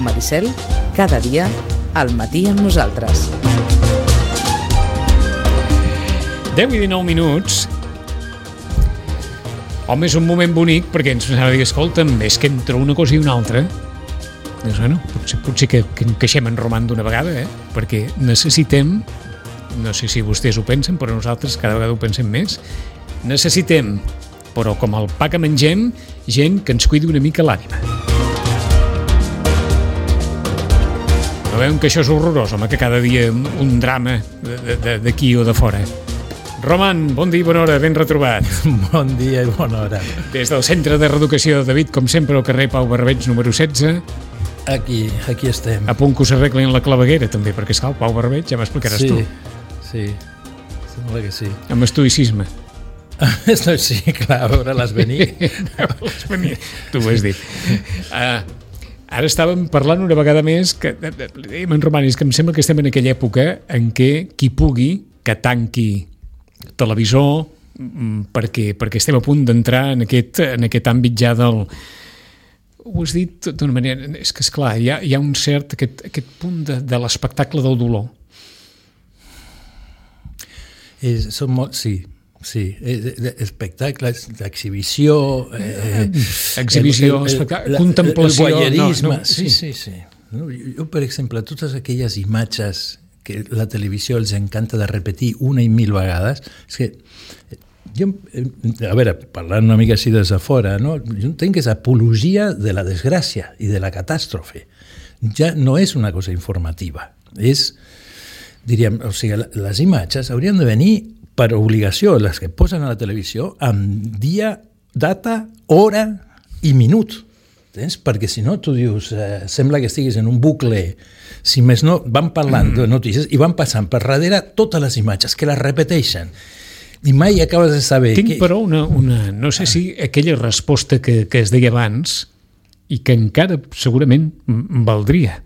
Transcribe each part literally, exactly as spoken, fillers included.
Maricel, cada dia al matí amb nosaltres. deu i dinou minuts. Home, és un moment bonic perquè ens anava a dir, escolta'm, és que entre una cosa i una altra, doncs, bueno, potser, potser que, que encaixem en Roman d'una vegada, eh? Perquè necessitem, no sé si vostès ho pensen, però nosaltres cada vegada ho pensem més, necessitem, però com el pa que mengem, gent que ens cuidi una mica l'ànima. No veuen que això és horrorós, home, que cada dia un drama d'aquí o de fora. Roman, bon dia i bona hora, ben retrobat. Bon dia i bona hora. Des del Centre de Reeducació de David, com sempre, al carrer Pau Barberig, número setze. Aquí, aquí estem. A punt que us arreglin la claveguera, també, perquè esclar, el Pau Barberig ja m'explicaràs sí, tu. Sí, sembla que sí. Amb estoïcisme. Sí, clar, a veure-les venir. A veure-les venir, tu ho has dit. Uh, ara estàvem parlant una vegada més, que dèiem en Roman, és que em sembla que estem en aquella època en què qui pugui, que tanqui televisor, perquè, perquè estem a punt d'entrar en aquest, en aquest àmbit ja del... Ho has dit d'una manera... És que, esclar, hi ha, hi ha un cert... Aquest, aquest punt de, de l'espectacle del dolor. És, són molt... Sí, sí. Espectacles, d'exhibició... Eh, Exhibició, el, el, espectacle, la, contemplació... El voyerisme. No, no, sí, sí, sí. No, jo, per exemple, totes aquelles imatges que la televisió els encanta de repetir una i mil vegades, és que jo, a veure, parlant una mica així des de fora, no? Jo entenc que és apologia de la desgràcia i de la catàstrofe. Ja no és una cosa informativa, és, diríem, o sigui, les imatges haurien de venir per obligació, les que posen a la televisió, amb dia, data, hora i minut. Tens? Perquè si no, tu dius, eh, sembla que estiguis en un bucle, si més no, van parlant de notícies i van passant per darrere totes les imatges, que les repeteixen, i mai acabes de saber... Tinc, que... però, una, una, no sé si aquella resposta que, que es deia abans i que encara segurament valdria.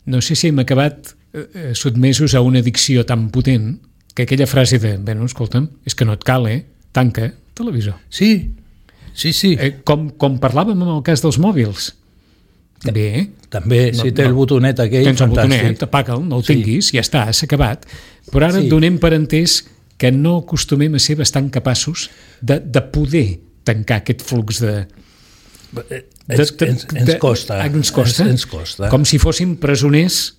No sé si hem acabat eh, sotmesos a una addicció tan potent que aquella frase de, bé, no, escolta'm, és que no et cal, eh? Tanca televisor. Sí, Sí, sí. Eh, com, com parlàvem amb el cas dels mòbils. També, eh? També, no, si té no, el botonet aquell, tens el fantàstic. botonet, apaga'l, no el sí. tinguis, ja està, s'ha acabat. Però ara sí. donem per entès que no acostumem a ser bastant capaços de, de poder tancar aquest flux de... de, de, ens, ens, ens costa. Ens costa. Ens, ens costa. Com si fóssim presoners...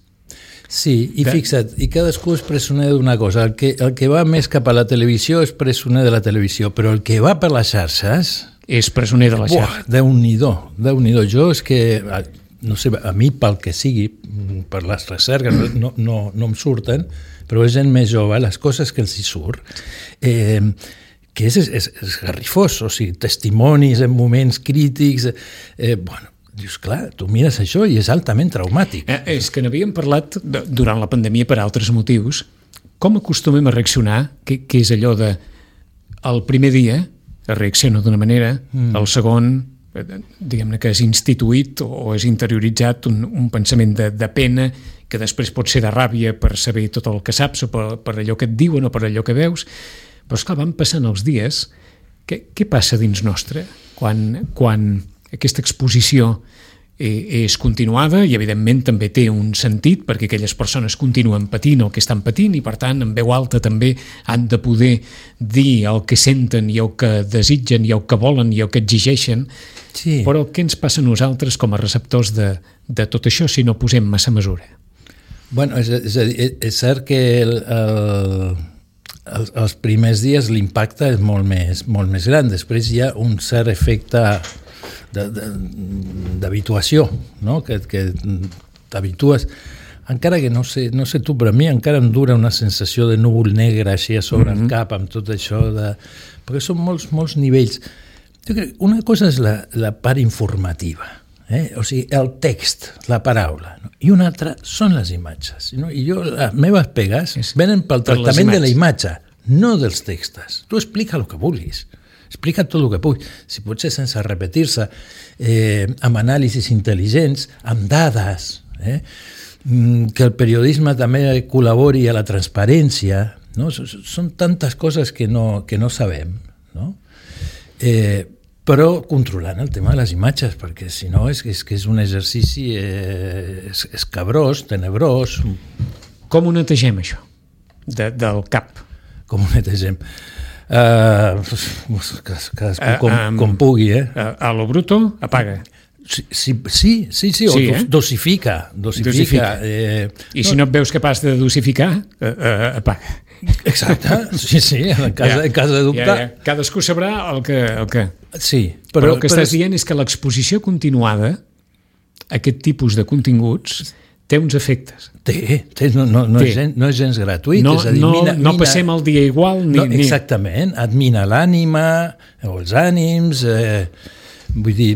Sí, i de... fixa't, i cadascú és presoner d'una cosa. El que, el que va més cap a la televisió és presoner de la televisió, però el que va per les xarxes... és presoner de la xarxa. Déu-n'hi-do, Déu-n'hi-do. Jo és que, no sé, a mi pel que sigui, per les recerques no, no, no em surten, però és gent més jove, les coses que els hi surt, eh, que és, és, és garrifós, o sigui, testimonis en moments crítics, eh, bueno, dius, clar, tu mires això i és altament traumàtic. Eh, és que n'havíem parlat de, durant la pandèmia per altres motius. Com acostumem a reaccionar, que, que és allò de el primer dia es reacciona d'una manera, mm. el segon, diguem-ne que és instituït o és interioritzat un, un pensament de, de pena, que després pot ser de ràbia per saber tot el que saps o per, per allò que et diuen o per allò que veus. Però, esclar, van passant els dies. Què, què passa dins nostre quan, quan aquesta exposició és continuada i, evidentment, també té un sentit perquè aquelles persones continuen patint el que estan patint i, per tant, en veu alta també han de poder dir el que senten i el que desitgen i el que volen i el que exigeixen. Sí. Però què ens passa a nosaltres com a receptors de, de tot això si no posem massa mesura? Bueno, és, és, a dir, és cert que el, el, els, els primers dies l'impacte és molt més, molt més gran. Després hi ha un cert efecte d'habituació, no? que, que t'habitues, encara que no sé, no sé tu, però a mi encara em dura una sensació de núvol negre així a sobre mm-hmm. el cap, amb tot això, de... perquè són molts, molts nivells. Jo crec, una cosa és la, la part informativa, eh? O sigui, el text, la paraula, no? I una altra són les imatges, no? I jo, les meves pegues és venen pel tractament de la imatge, no dels textos. Tu explica el que vulguis. Explica tot el que puguis, si pot ser sense repetir-se, eh, amb anàlisis intel·ligents, amb dades, eh? que el periodisme també col·labori a la transparència, no? Són tantes coses que no, que no sabem, no? Eh, però controlant el tema de les imatges, perquè si no és, és que és un exercici eh, és, escabrós, tenebrós. Com ho netegem, això, de, del cap? Com ho netegem? Uh, cadascú com, uh, um, com pugui, eh? A, a lo bruto, apaga. Sí, sí, sí, sí, sí, o sí eh? dosifica. Dosifica. dosifica. Eh, I no, si no et veus capaç de dosificar, uh, uh, apaga. Exacte, sí, sí, en cas, ja, en cas de dubte. Ja, ja. Cadascú sabrà el que... El que... Sí, però, però el que però estàs és... dient és que l'exposició continuada a aquest tipus de continguts té uns efectes. Té, té no, no, no, té. És gens, no és gens gratuït. No, és a dir, no, mina, no mina, passem el dia igual ni... No, exactament, et mina l'ànima o els ànims... Eh, vull dir,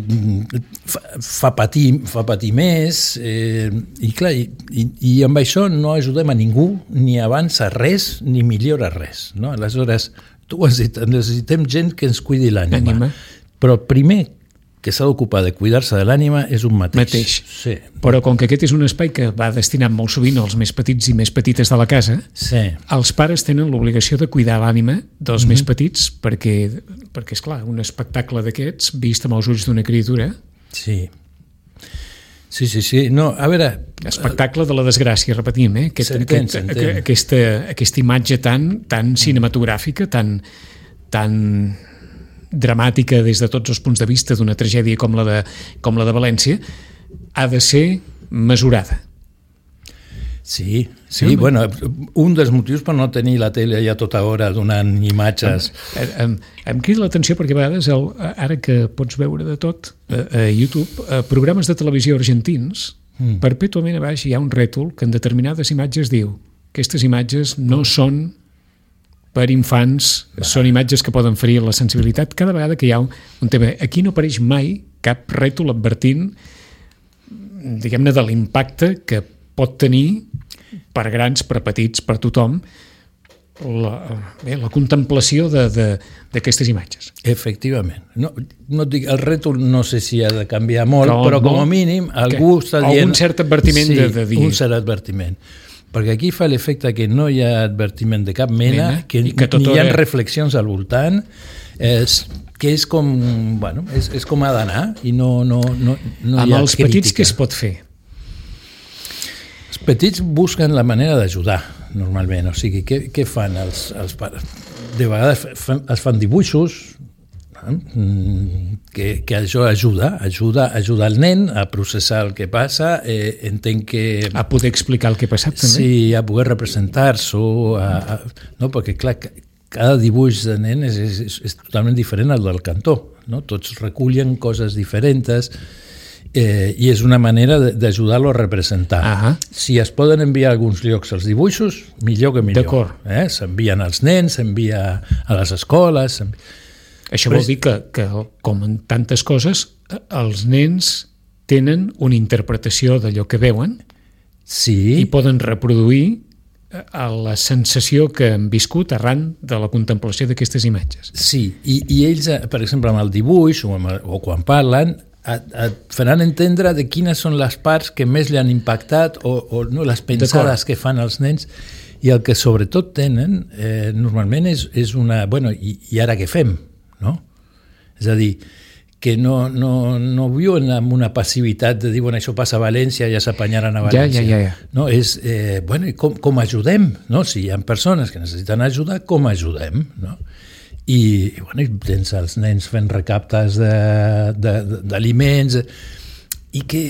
fa, fa, patir, fa patir més eh, i clar, i, i, i amb això no ajudem a ningú, ni avança res ni millora res, no? Aleshores, tu has dit, necessitem gent que ens cuidi l'ànima, però el primer que s'ha d'ocupar de cuidar-se de l'ànima és un mateix. mateix. Sí. Però com que aquest és un espai que va destinat molt sovint als més petits i més petites de la casa, sí. els pares tenen l'obligació de cuidar l'ànima dels mm-hmm. més petits perquè, perquè, esclar, un espectacle d'aquests, vist amb els ulls d'una criatura... Sí. Sí, sí, sí. No, a veure... Espectacle de la desgràcia, repetim, eh? Aquest, s'entén, aquest, s'entén. Aquesta, aquesta imatge tan, tan cinematogràfica, tan... tan dramàtica des de tots els punts de vista d'una tragèdia com la de, com la de València, ha de ser mesurada. Sí, sí, sí, bueno, un dels motius per no tenir la tele ja tota hora donant imatges... Em, em, em crida l'atenció perquè a vegades, el, ara que pots veure de tot a, a YouTube, a programes de televisió argentins, mm. perpètuament a baix hi ha un rètol que en determinades imatges diu aquestes imatges no són per infants, va. Són imatges que poden ferir la sensibilitat cada vegada que hi ha un, un tema. Aquí no apareix mai cap rètol advertint, diguem-ne, de l'impacte que pot tenir per grans, per petits, per tothom, la, bé, la contemplació d'aquestes imatges. Efectivament. No, no dic, el rètol no sé si ha de canviar molt, però, però com a mínim algú que, està dient... Algun cert advertiment sí, de, de dir... un cert advertiment. Perquè aquí fa l'efecte que no hi ha advertiment de cap mena, mena que, que ni hi ha reflexions al voltant, és, que és com, bueno, és, és com ha d'anar i no, no, no, no hi ha amb els crítica. Petits què es pot fer? Els petits busquen la manera d'ajudar, normalment. O sigui, què, què fan els, els pares? De vegades fan, es fan dibuixos, que, que això ajuda, ajuda, ajuda el nen a processar el que passa, eh, entenc que... A poder explicar el que ha passat, també. Sí, a poder representar-s'ho, no? Perquè, clar, cada dibuix de nen és, és, és totalment diferent al del cantó, no? Tots recullen coses diferents, eh, i és una manera d'ajudar-lo a representar. Uh-huh. Si es poden enviar a alguns llocs els dibuixos, millor que millor. D'acord. Eh? S'envien als nens, s'envia a les escoles... Això vol dir que, que, com en tantes coses, els nens tenen una interpretació d'allò que veuen, sí, i poden reproduir la sensació que han viscut arran de la contemplació d'aquestes imatges. Sí, i, i ells, per exemple, amb el dibuix o, amb, o quan parlen, et, et faran entendre de quines són les parts que més li han impactat o, o no, les pensades que fan els nens, i el que sobretot tenen eh, normalment és, és una... Bueno, i, i ara què fem? No? És a dir, que no, no, no viuen amb una passivitat de dir, bueno, això passa a València, ja s'apanyaran a València. Ja, ja, ja. No, és, eh, bueno, i com, com ajudem? No? Si hi ha persones que necessiten ajuda, com ajudem? No? I, i, bueno, i tens els nens fent recaptes d'aliments, i que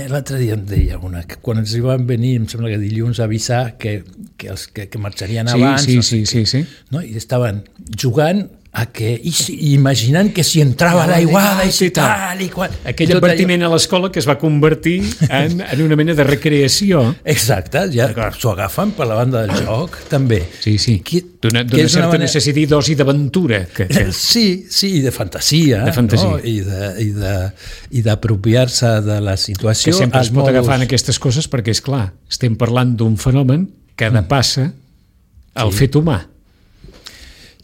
l'altre dia em deia una, que quan ens hi van venir, em sembla que dilluns, a avisar que, que, els, que, que marxarien sí, abans, sí, no sí, sí, sí. No? I estaven jugant a que, i, i imaginant que si entrava ja, l'aiguada i, i tal i qual... Aquell advertiment allò... a l'escola que es va convertir en, en una mena de recreació. Exacte, ja s'ho agafen per la banda del joc, també. Sí, sí, d'una certa manera... necessiti dosi d'aventura. Que, que... Sí, sí, i de fantasia, de fantasia. No? I, de, i, de, i d'apropiar-se de la situació. Que sempre es pot modos... agafar en aquestes coses perquè, és clar, estem parlant d'un fenomen que depassa el sí. fet humà.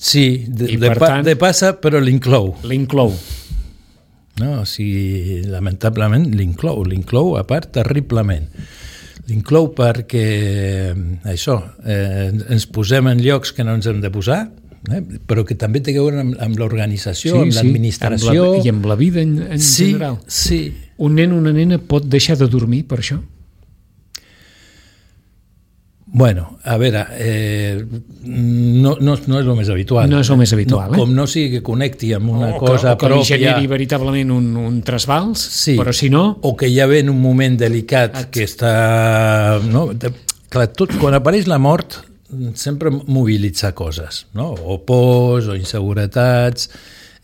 Sí, de, de, pa, tant, de passa, però l'inclou. L'inclou. No, o sigui, lamentablement l'inclou, l'inclou a part terriblement. L'inclou perquè, això, eh, ens posem en llocs que no ens hem de posar, eh? Però que també té a veure amb, amb l'organització, sí, amb sí, l'administració... amb la, i amb la vida en, en sí, general. Sí. Un nen o una nena pot deixar de dormir per això? Bueno, a veure, eh, no, no, no és el més habitual. No és el més habitual, no, eh? Com no sigui que connecti amb una o cosa que, o que pròpia... li generi veritablement un, un trasbals, sí, però si no... O que ja ve en un moment delicat Et... que està... No? Clar, tot, quan apareix la mort sempre mobilitza coses, no? O pors, o inseguretats...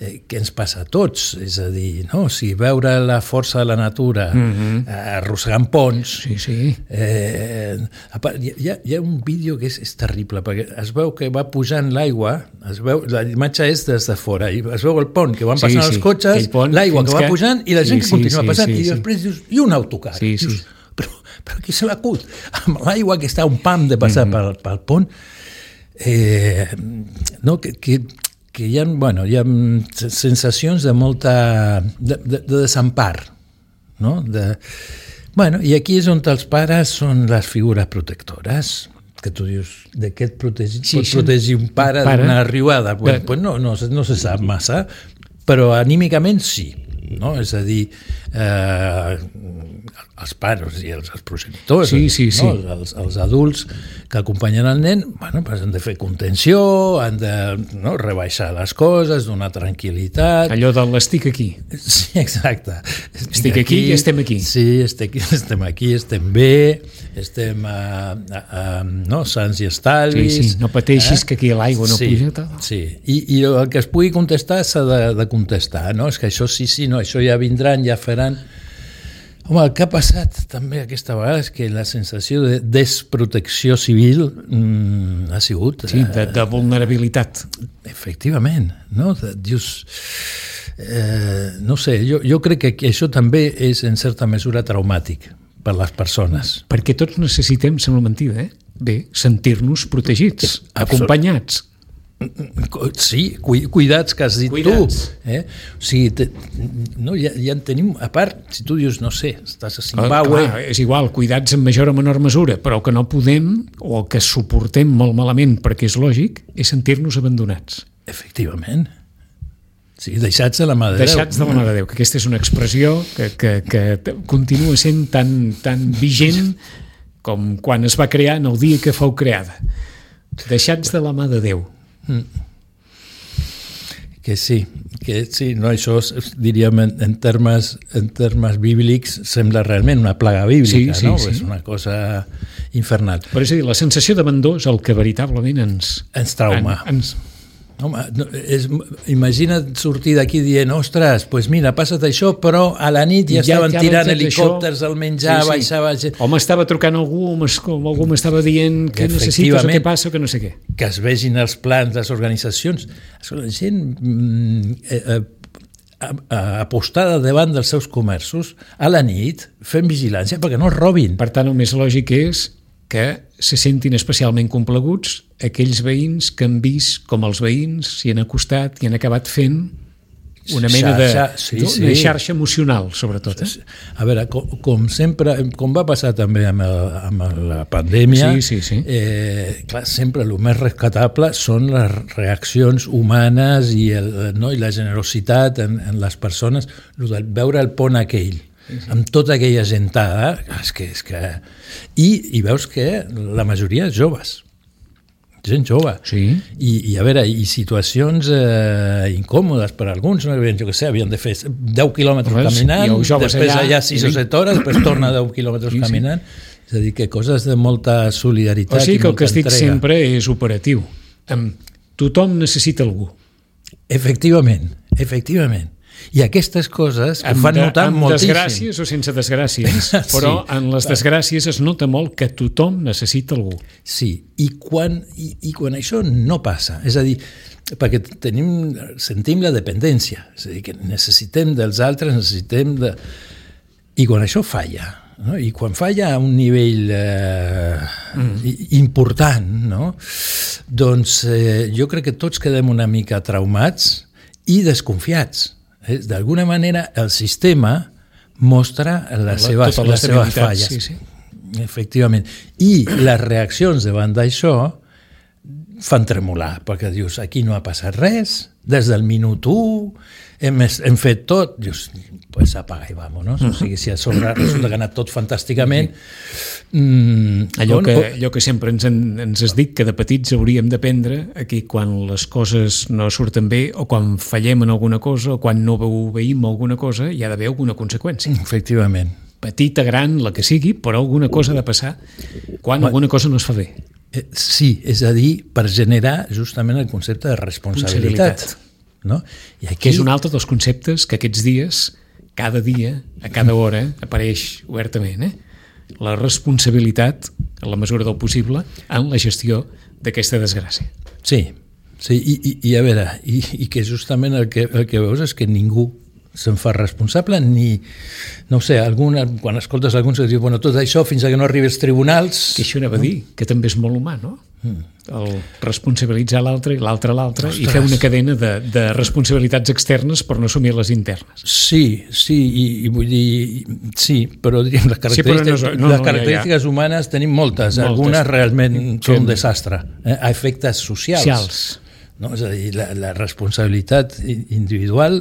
Eh, què ens passa a tots? És a dir, no? O sigui, veure la força de la natura mm-hmm. eh, arrossegant ponts... Sí, sí. Eh, hi, ha, hi ha un vídeo que és, és terrible, perquè es veu que va pujant l'aigua, es veu, la imatge és des de fora, i es veu el pont que van passant sí, sí. els cotxes, l'aigua que va que... pujant i la gent sí, que continua sí, passant, sí, sí, i després sí. dius, i un autocar. Sí, sí. Dius, però, però qui se l'acut? Amb l'aigua que està un pam de passar mm-hmm. pel, pel pont, eh, no, que... que que hi ha, bueno, hi ha sensacions de molta... de, de, de desempar, no? De, bueno, i aquí és on els pares són les figures protectores, que tu dius, de què et protegi, sí, pot sí. protegir un pare, pare. d'una riuada? Pues, pues no, no, no se sap massa, però anímicament sí. No? És a dir, eh, els pares i els, els progenitors, sí, sí, sí. No? Els, els adults que acompanyen el nen, bueno, pues han de fer contenció, han de no, rebaixar les coses, donar tranquil·litat. Allò de l'estic aquí. Sí, exacte. Estic, estic aquí, aquí i estem aquí. Sí, estic, estem aquí, estem bé, estem uh, uh, no, sants i estalvis. Sí, sí, no pateixis eh? que aquí l'aigua no sí, puja. Sí, I, i el que es pugui contestar s'ha de, de contestar, no? És que això sí, sí, no, això ja vindran, ja faran... Home, el que ha passat també aquesta vegada és que la sensació de desprotecció civil mm, ha sigut... Sí, de, de vulnerabilitat. Efectivament, no? De, dius... Eh, no sé, jo, jo crec que això també és en certa mesura traumàtic per les persones. Perquè tots necessitem, sembla mentida, eh? Bé, sentir-nos protegits, Absolut. acompanyats. Sí, cuidats que has dit cuidats. tu. Eh? O sigui, te, no, ja, ja en tenim, a part, si tu dius, no sé, estàs a Zimbabue... Clar, és igual, cuidats en major o menor mesura, però que no podem, o que suportem molt malament, perquè és lògic, és sentir-nos abandonats. Efectivament. Sí, deixats de la mà de Déu. Deixats de la mà de Déu, que aquesta és una expressió que, que, que continua sent tan, tan vigent com quan es va crear en el dia que fou creada. Deixats de la mà de Déu. Mm. Que sí, que sí, no, això diríem en, en, termes, en termes bíblics sembla realment una plaga bíblica, sí, sí, no? Sí. És una cosa infernal. Però és a dir, la sensació d'abandó és el que veritablement ens... Ens trauma. En, ens... Home, no, és, imagina't sortir d'aquí dient, ostres, doncs pues mira, ha passat això, però a la nit ja, ja estaven ja tirant helicòpters al menjar, sí, sí. baixava gent... O m'estava trucant algú, o algú m'estava dient què necessites o què passa o què no sé què. Que es vegin els plans, les organitzacions. La gent eh, eh, apostada davant dels seus comerços a la nit, fent vigilància perquè no els robin. Per tant, el més lògic és que se sentin especialment complaguts aquells veïns que han vist com els veïns s'hi han acostat i han acabat fent una mena xarxa, de sí, sí. Una xarxa emocional, sobretot. Eh? A veure, com, com sempre, com va passar també amb, el, amb la pandèmia, sí, sí, sí. Eh, clar, sempre el més rescatable són les reaccions humanes i, el, no, i la generositat en, en les persones, el de veure el pont aquell, sí, sí. amb tota aquella gentada, és que, és que... I, i veus que la majoria és joves, gent jove. Sí. I, i a veure, i situacions eh, incòmodes per a alguns, no? Jo què sé, havien de fer deu quilòmetres Res, caminant, després allà, allà sis o set hores, després torna deu quilòmetres sí, caminant, sí. És a dir, que coses de molta solidaritat. O sigui que el que estic entrega. sempre és operatiu. Tothom necessita algú. Efectivament, efectivament. I aquestes coses ho fan de, notar amb moltíssim. Amb desgràcies o sense desgràcies, però sí, en les desgràcies es nota molt que tothom necessita algú. Sí, i quan, i, i quan això no passa, és a dir, perquè tenim, sentim la dependència, és a dir, que necessitem dels altres, necessitem de... I quan això falla, no? I quan falla a un nivell eh, mm. important, no? Doncs eh, jo crec que tots quedem una mica traumats i desconfiats. D'alguna manera el sistema mostra les seves, les les seves falles. Sí, sí. Efectivament. I les reaccions davant d'això fan tremolar, perquè dius, aquí no ha passat res, des del minut u, hem, hem fet tot, dius, pues apaga i vámonos. Uh-huh. O sigui, si a sobre resulta que ha anat tot fantàsticament... Mm, allò, on, que, on... allò que sempre ens, en, ens has dit, que de petits hauríem d'aprendre aquí quan les coses no surten bé o quan fallem en alguna cosa o quan no obeïm alguna cosa, hi ha d'haver alguna conseqüència. Efectivament. Petita, gran, la que sigui, però alguna cosa ha de passar quan alguna cosa no es fa bé. Eh, sí, és a dir, per generar justament el concepte de responsabilitat. No? I aquí... Que és un altre dels conceptes que aquests dies, cada dia, a cada hora, apareix obertament. Eh? La responsabilitat, en la mesura del possible, en la gestió d'aquesta desgràcia. Sí, sí i, i, i a veure, i, i que justament el que, el que veus és que ningú se'n fa responsable, ni, no ho sé, alguna, quan escoltes alguns que diuen, bueno, tot això fins a que no arribi als tribunals... Que això anava a dir, que també és molt humà, no? Mm. El responsabilitzar l'altre i l'altre l'altre i fer una cadena de, de responsabilitats externes per no assumir les internes. Sí, sí, i, i vull dir, sí, però diríem, les característiques, sí, no, no, les característiques no, ja, ja. humanes tenim moltes, moltes. Algunes realment són un desastre, eh? A efectes socials. Socials. No? És a dir, la, la responsabilitat individual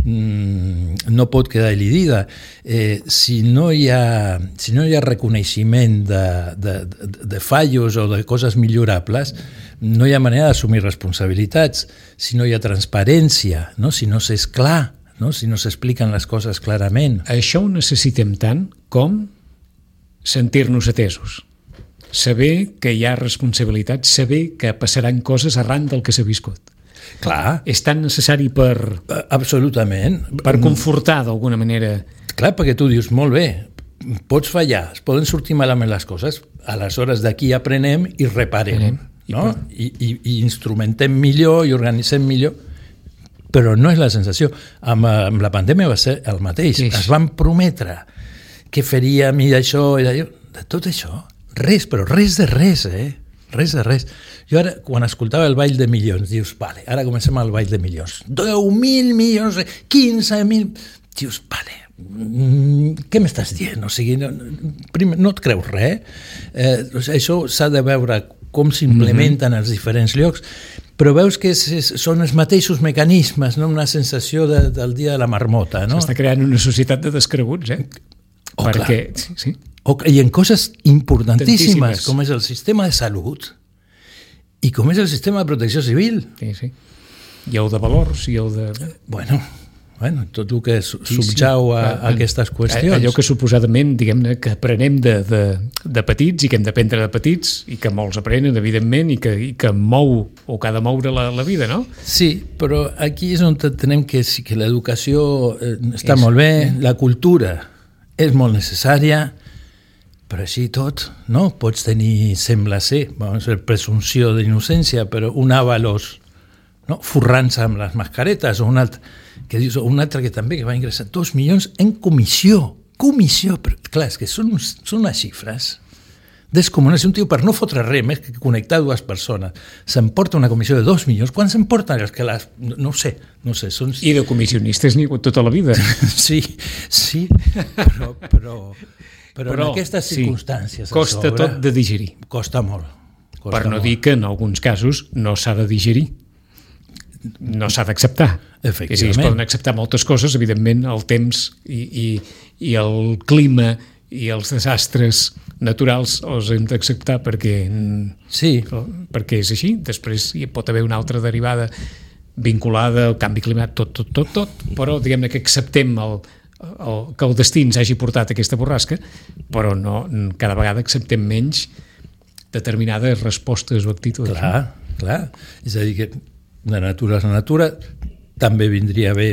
mmm, no pot quedar elidida. Eh, si, no hi ha, si no hi ha reconeixement de, de, de, de fallos o de coses millorables, no hi ha manera d'assumir responsabilitats. Si no hi ha transparència, no? Si no s'és clar, no? Si no s'expliquen les coses clarament. Això ho necessitem tant com sentir-nos atesos. Saber que hi ha responsabilitat, saber que passaran coses arran del que s'ha viscut. Clar. És tan necessari per... Absolutament. Per confortar, d'alguna manera. Clar, perquè tu dius, molt bé, pots fallar, es poden sortir malament les coses, aleshores d'aquí aprenem i reparem, aprenem. No? I, i, i instrumentem millor i organitzem millor, però no és la sensació. Amb, amb la pandèmia va ser el mateix. Sí. Es van prometre que faríem i d'això i d'allò. De tot això... Res, però res de res, eh? Res de res. Jo ara, quan escoltava el Ball de Milions, dius, vale, ara comencem el Ball de Milions. deu mil milions, quinze mil... Dius, vale, mm, què m'estàs dient? O sigui, no, primer, no et creus res. Eh, això s'ha de veure com s'implementen mm-hmm. als diferents llocs, però veus que és, és, són els mateixos mecanismes, no? Una sensació de, del dia de la marmota, no? S'està creant una societat de descreguts, eh? Oh, perquè, clar. Sí, sí. O, i en coses importantíssimes, Tantíssimes. com és el sistema de salut i com és el sistema de protecció civil. Sí, sí. I el de valors, i el de... Bueno, bueno tot el que subjau sí, sí. a, a aquestes qüestions. Allò que suposadament, diguem-ne, que aprenem de, de, de petits i que hem d'aprendre de petits i que molts aprenen, evidentment, i que, i que mou o que ha de moure la, la vida, no? Sí, però aquí és on tenem que, que l'educació eh, està és, molt bé, eh? la cultura és molt necessària, però així tot, no? Pots tenir, sembla ser, vamos a dir, presumpció d'innocència, però un avalos, no? Forrant-se amb les mascaretes, o un altre, que dius, o un altre que també que va ingressar dos milions en comissió, comissió, però clar, és que són, són unes xifres descomunals. Un tio, per no fotre res més que connectar dues persones, s'emporta una comissió de dos milions. Quan s'emporten els que les... No ho sé, no ho sé. Són... I de comissionistes n'hi ha hagut tota la vida. Sí, sí, però... però... Però, però en aquestes circumstàncies... Sí, costa sobre, tot de digerir. Costa molt. Costa per no molt. dir que en alguns casos no s'ha de digerir. No s'ha d'acceptar. Efectivament. És a dir, es poden acceptar moltes coses, evidentment, el temps i, i, i el clima i els desastres naturals els hem d'acceptar perquè, sí. perquè és així. Després hi pot haver una altra derivada vinculada al canvi climàtic, tot, tot, tot, tot, però diguem-ne que acceptem el El, que el destí ens hagi portat aquesta borrasca, però no, cada vegada acceptem menys determinades respostes o actituds. Clar, clar. És a dir, que la natura és la natura, també vindria bé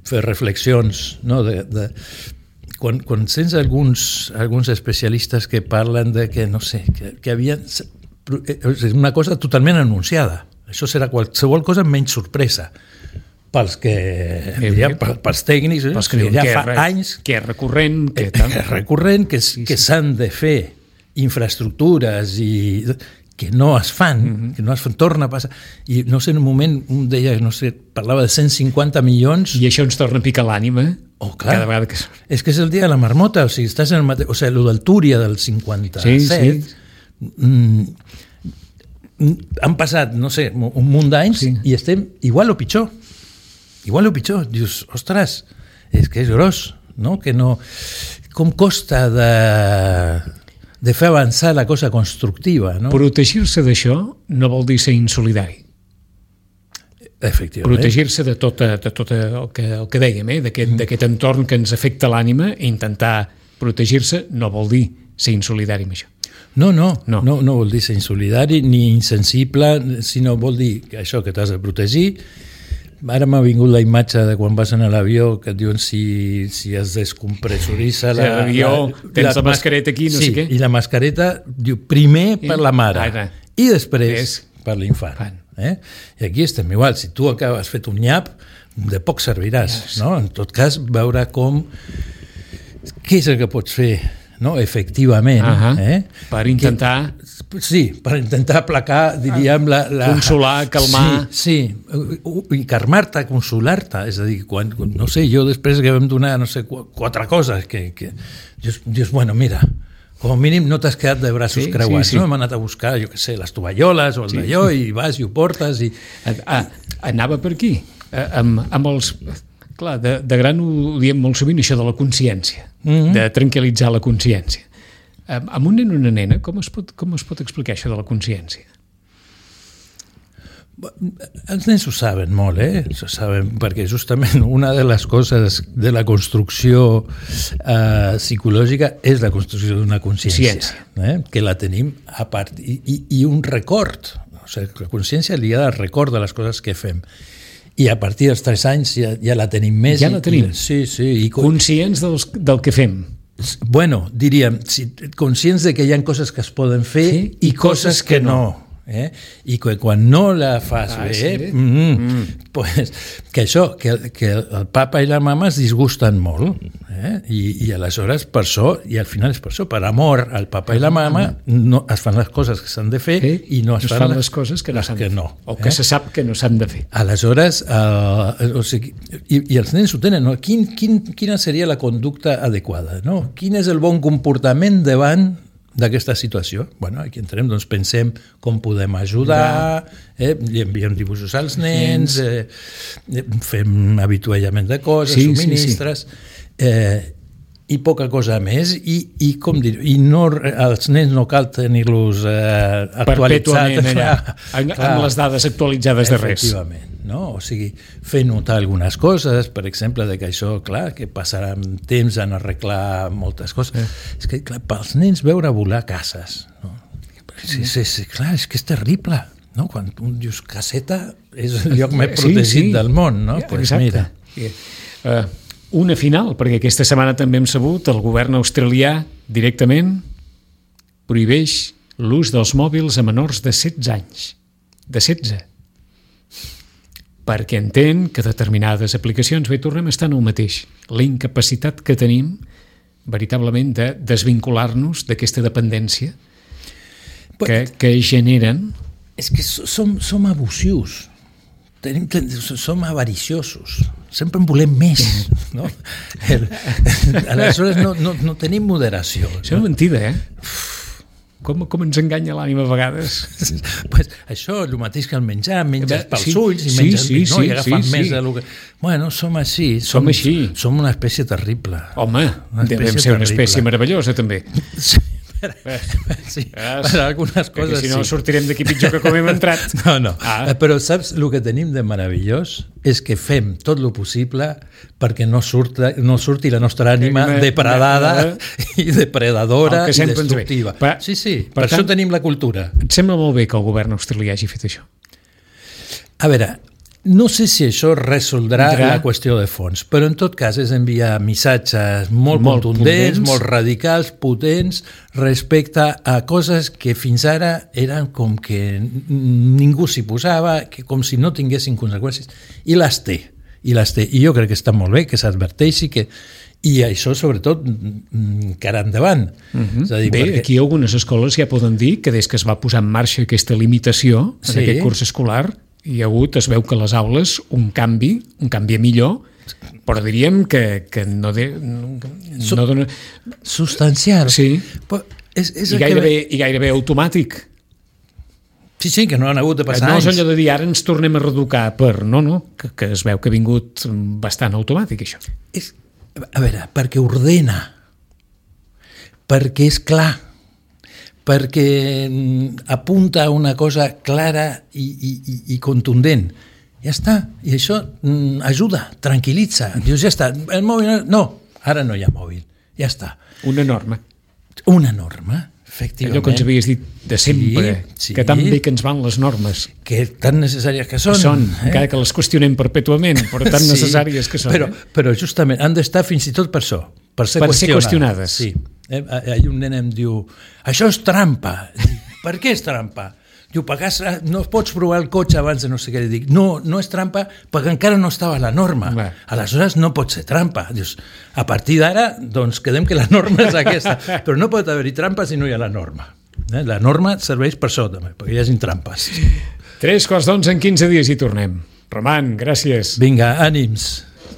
fer reflexions, no? de, de, quan, quan sents alguns, alguns especialistes que parlen de que, no sé, que, que havien... És una cosa totalment anunciada. Això serà qualsevol cosa menys sorpresa. Pels que, eh, ja, pels tècnics, pels que, que ja que fa re, anys que és recurrent, que, que és recurrent, que, sí, que s'han de fer infraestructures i que no es fan, mm-hmm. que no es fan, torna a passar. I no sé, en un moment, un deia, no sé, parlava de cent cinquanta milions... I això ens torna a picar l'ànima, oh, clar. Cada vegada que... És que és el dia de la marmota, o sigui, estàs en el mateix... O sigui, el del Túria del cinquanta-set... Sí, sí. Mm, han passat, no sé, un munt d'anys sí. i estem igual o pitjor. Igual o pitjor. Dius, ostres, és que és gros, no? Que no... Com costa de, de fer avançar la cosa constructiva, no? Protegir-se d'això no vol dir ser insolidari. Efectivament. Protegir-se de tot, de tot el, que, el que dèiem, eh? d'aquest, d'aquest entorn que ens afecta l'ànima, i intentar protegir-se no vol dir ser insolidari amb això. No, no, no, no, no vol dir ser insolidari ni insensible, sinó vol dir que això que t'has de protegir. Ara m'ha vingut la imatge de quan vas en l'avió que et diuen si, si es descompressoritza la... Sí, l'avió, tens la, la mascareta aquí, no sí, sé què. I la mascareta diu primer per la mare Ara. i després És. per l'infant. Eh? I aquí estem igual, si tu acabes fet un nyap, de poc serviràs, yes. no? En tot cas, veure com... Què és el que pots fer, no? Efectivament, uh-huh. eh? Per intentar... Que, sí, per intentar aplacar, diríem, la... la... Consolar, calmar... Sí, sí, i calmar-te, consolar-te, és a dir, quan, no sé, jo després que vam donar, no sé, quatre coses, que, que dius, dius, bueno, mira... Com a mínim no t'has quedat de braços sí, creuats, sí, sí. no? Hem anat a buscar, jo què sé, les tovalloles o el sí. d'allò, i vas i ho portes i... Ah, anava per aquí, eh, amb, amb els... Clar, de, de gran ho diem molt sovint, això de la consciència, mm-hmm. de tranquil·litzar la consciència. Amb, amb un nen o una nena, com es, pot, com es pot explicar això de la consciència? Els nens ho saben molt, eh? Ho saben, perquè justament una de les coses de la construcció eh, psicològica és la construcció d'una consciència, eh? Que la tenim a part, i, i, i un record, o sigui, la consciència lligada al record de les coses que fem. I a partir dels tres anys ja, ja la tenim més. Ja la tenim? I, sí, sí. I, conscients dels, del que fem. Bueno, diríem, si, conscients de que hi ha coses que es poden fer sí, i, i coses, coses que, que no. no. Eh? I que quan no la fas ah, bé, sí? mm, mm. Pues, que això, que, que el papa i la mama es disgusten molt, eh? I, i aleshores per això, i al final és per això, per amor al papa i la mama no, es fan les coses que s'han de fer sí? I no es, es fan, fan les coses que no s'han de fer, no, o que eh? se sap que no s'han de fer. Aleshores, eh, o sigui, i, i els nens ho tenen, no? Quin, quin, quina seria la conducta adequada, no? Quin és el bon comportament davant d'aquesta situació? Bueno, aquí entrem, doncs pensem com podem ajudar, eh, li enviem dibuixos als nens, eh, fem avituallament de coses, sí, subministres, sí, sí. Eh, i poca cosa més, i, i com dir, i no, els nens no cal tenir-los eh, actualitzats allà, amb, amb les dades actualitzades de res. Efectivament, no? O sigui, fer notar algunes coses, per exemple, de que això, clar, que passarà temps en arreglar moltes coses. Eh. És que, clar, pels nens veure volar cases, no? Sí, sí, sí, clar, és que és terrible, no? Quan un dius caseta és el lloc més protegit sí, sí. del món, no? Ja, pues exacte. Mira. Yeah. Uh, una final, perquè aquesta setmana també hem sabut el govern australià directament prohibeix l'ús dels mòbils a menors de setze anys. De setze. Perquè entén que determinades aplicacions, bé, tornem a estar en el mateix. La incapacitat que tenim veritablement de desvincular-nos d'aquesta dependència que, que generen... És que som, som abusius. Tenim, som avariciosos, sempre en volem més, no? El, aleshores no, no, no tenim moderació. Això és una mentida, eh? Com, com ens enganya l'ànima a vegades. Pues això, el mateix que el menjar, menges pels sí, ulls i sí, menges sí, no? Sí, I agafant sí, més sí. de lo que... Bueno, som així. Som, som així. Som una espècie terrible. Home, devem ser una espècie meravellosa, també. Sí. Sí, per algunes coses si no sí. Sortirem d'aquí pitjor que com hem entrat. No, no, ah. Però saps, el que tenim de meravellós és que fem tot lo possible perquè no, surta, no surti la nostra ànima depredada i depredadora i destructiva. Per, sí, sí, per, per tant, això tenim la cultura. Et sembla molt bé que el govern australià hagi fet això? A veure, no sé si això resoldrà Entrà. la qüestió de fons, però en tot cas és enviar missatges molt, molt contundents, potents. molt radicals, potents, respecte a coses que fins ara eren com que ningú s'hi posava, que com si no tinguessin conseqüències, i les té, i les té. I jo crec que està molt bé que s'adverteixi que i això, sobretot, cara endavant. Uh-huh. És a dir, bé, perquè... aquí algunes escoles ja poden dir que des que es va posar en marxa aquesta limitació en sí. aquest curs escolar hi ha hagut, es veu que a les aules un canvi, un canvi a millor, però diríem que, que no, de, no, no dona... Substancial. Sí, però és, és I, gairebé, que... i gairebé automàtic. Sí, sí, que no han hagut de passar no anys. No és allò de dir, ara ens tornem a reeducar per... No, no, que, que es veu que ha vingut bastant automàtic, això. És, a veure, perquè ordena, perquè és clar, perquè apunta a una cosa clara i, i, i contundent. Ja està, i això ajuda, tranquil·litza. Dius, ja està, el mòbil... No, ara no hi ha mòbil, ja està. Una norma. Una norma, efectivament. Allò que ens havies dit de sempre, sí, sí. que tan bé que ens van les normes. Que tan necessàries que són. Que són, eh? encara que les qüestionem perpètuament, però tan sí, necessàries que són. Però, eh? però justament han d'estar fins i tot per això, per ser, per qüestionades. ser qüestionades. Sí. Eh, ahir un nen em diu, això és trampa. Per què és trampa? Diu, perquè no pots provar el cotxe abans de no sé què. Li dic, no, no és trampa perquè encara no estava la norma. Clar. Aleshores no pot ser trampa. Dius, a partir d'ara, doncs quedem que la norma és aquesta. Però no pot haver-hi trampa si no hi ha la norma. Eh? La norma serveix per això també, perquè hi hagi trampes. Tres quarts d'onze en quinze dies i tornem. Roman, gràcies. Vinga, ànims.